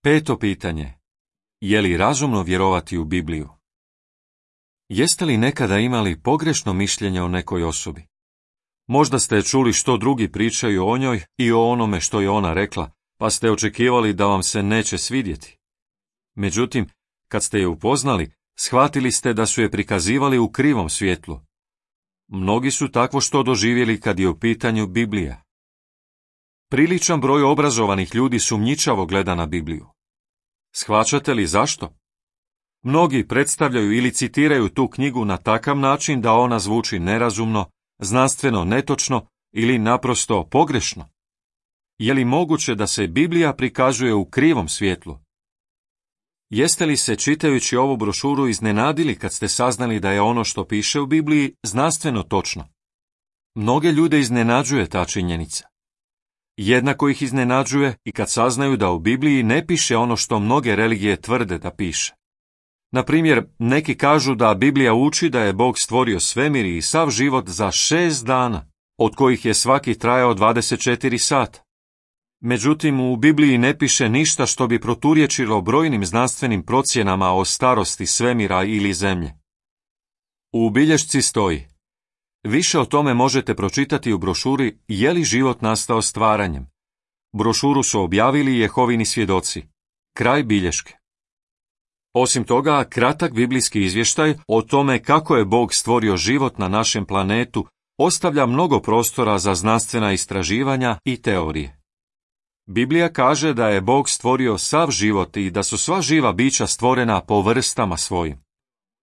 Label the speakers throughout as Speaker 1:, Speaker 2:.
Speaker 1: Peto pitanje. Je li razumno vjerovati u Bibliju? Jeste li nekada imali pogrešno mišljenje o nekoj osobi? Možda ste čuli što drugi pričaju o njoj i o onome što je ona rekla, pa ste očekivali da vam se neće svidjeti. Međutim, kad ste je upoznali, shvatili ste da su je prikazivali u krivom svjetlu. Mnogi su takvo što doživjeli kad je u pitanju Biblija. Priličan broj obrazovanih ljudi sumnjičavo gleda na Bibliju. Shvaćate li zašto? Mnogi predstavljaju ili citiraju tu knjigu na takav način da ona zvuči nerazumno, znanstveno netočno ili naprosto pogrešno. Je li moguće da se Biblija prikazuje u krivom svjetlu? Jeste li se čitajući ovu brošuru iznenadili kad ste saznali da je ono što piše u Bibliji znanstveno točno? Mnoge ljude iznenađuje ta činjenica. Jednako ih iznenađuje i kad saznaju da u Bibliji ne piše ono što mnoge religije tvrde da piše. Na primjer, neki kažu da Biblija uči da je Bog stvorio svemir i sav život za 6 dana, od kojih je svaki trajao 24 sata. Međutim, u Bibliji ne piše ništa što bi proturječilo brojnim znanstvenim procjenama o starosti svemira ili zemlje. U bilješci stoji: više o tome možete pročitati u brošuri Je li život nastao stvaranjem. Brošuru su objavili Jehovini svjedoci. Kraj bilješke. Osim toga, kratak biblijski izvještaj o tome kako je Bog stvorio život na našem planetu ostavlja mnogo prostora za znanstvena istraživanja i teorije. Biblija kaže da je Bog stvorio sav život i da su sva živa bića stvorena po vrstama svojim.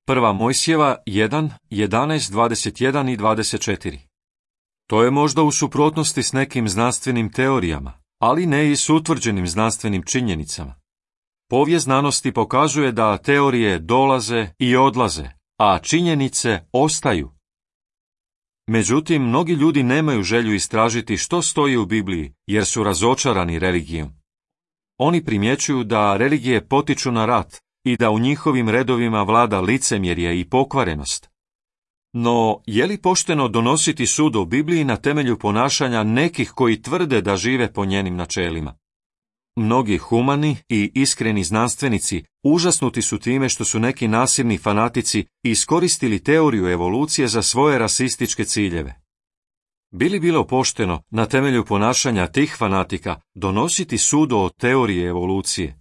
Speaker 1: 1. Mojsijeva 1, 11, 21 i 24. To je možda u suprotnosti s nekim znanstvenim teorijama, ali ne i s utvrđenim znanstvenim činjenicama. Povijest znanosti pokazuje da teorije dolaze i odlaze, a činjenice ostaju. Međutim, mnogi ljudi nemaju želju istražiti što stoji u Bibliji, jer su razočarani religijom. Oni primjećuju da religije potiču na rat i da u njihovim redovima vlada licemjerje i pokvarenost. No, je li pošteno donositi sud o Bibliji na temelju ponašanja nekih koji tvrde da žive po njenim načelima? Mnogi humani i iskreni znanstvenici užasnuti su time što su neki nasilni fanatici iskoristili teoriju evolucije za svoje rasističke ciljeve. Bi li bilo pošteno na temelju ponašanja tih fanatika donositi sud o teoriji evolucije?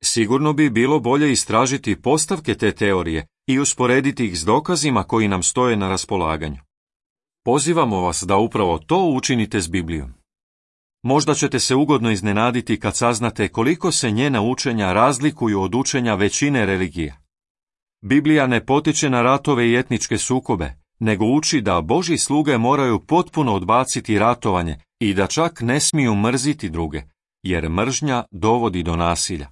Speaker 1: Sigurno bi bilo bolje istražiti postavke te teorije i usporediti ih s dokazima koji nam stoje na raspolaganju. Pozivamo vas da upravo to učinite s Biblijom. Možda ćete se ugodno iznenaditi kad saznate koliko se njena učenja razlikuju od učenja većine religija. Biblija ne potiče na ratove i etničke sukobe, nego uči da Božji sluge moraju potpuno odbaciti ratovanje i da čak ne smiju mrziti druge, jer mržnja dovodi do nasilja.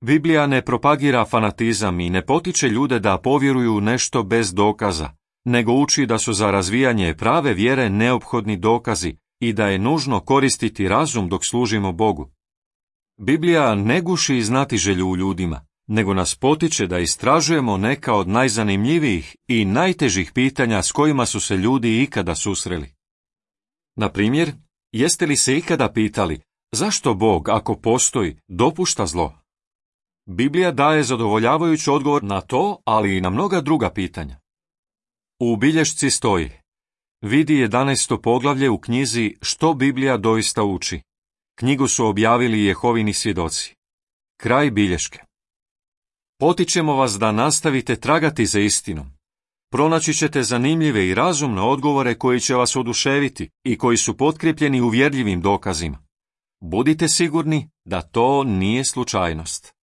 Speaker 1: Biblija ne propagira fanatizam i ne potiče ljude da povjeruju u nešto bez dokaza, nego uči da su za razvijanje prave vjere neophodni dokazi i da je nužno koristiti razum dok služimo Bogu. Biblija ne guši znatiželju u ljudima, nego nas potiče da istražujemo neka od najzanimljivijih i najtežih pitanja s kojima su se ljudi ikada susreli. Na primjer, jeste li se ikada pitali zašto Bog, ako postoji, dopušta zlo? Biblija daje zadovoljavajući odgovor na to, ali i na mnoga druga pitanja. U bilješci stoji: vidi 11. poglavlje u knjizi Što Biblija doista uči. Knjigu su objavili Jehovini svjedoci. Kraj bilješke. Potičemo vas da nastavite tragati za istinom. Pronaći ćete zanimljive i razumne odgovore koji će vas oduševiti i koji su potkrijepljeni uvjerljivim dokazima. Budite sigurni da to nije slučajnost.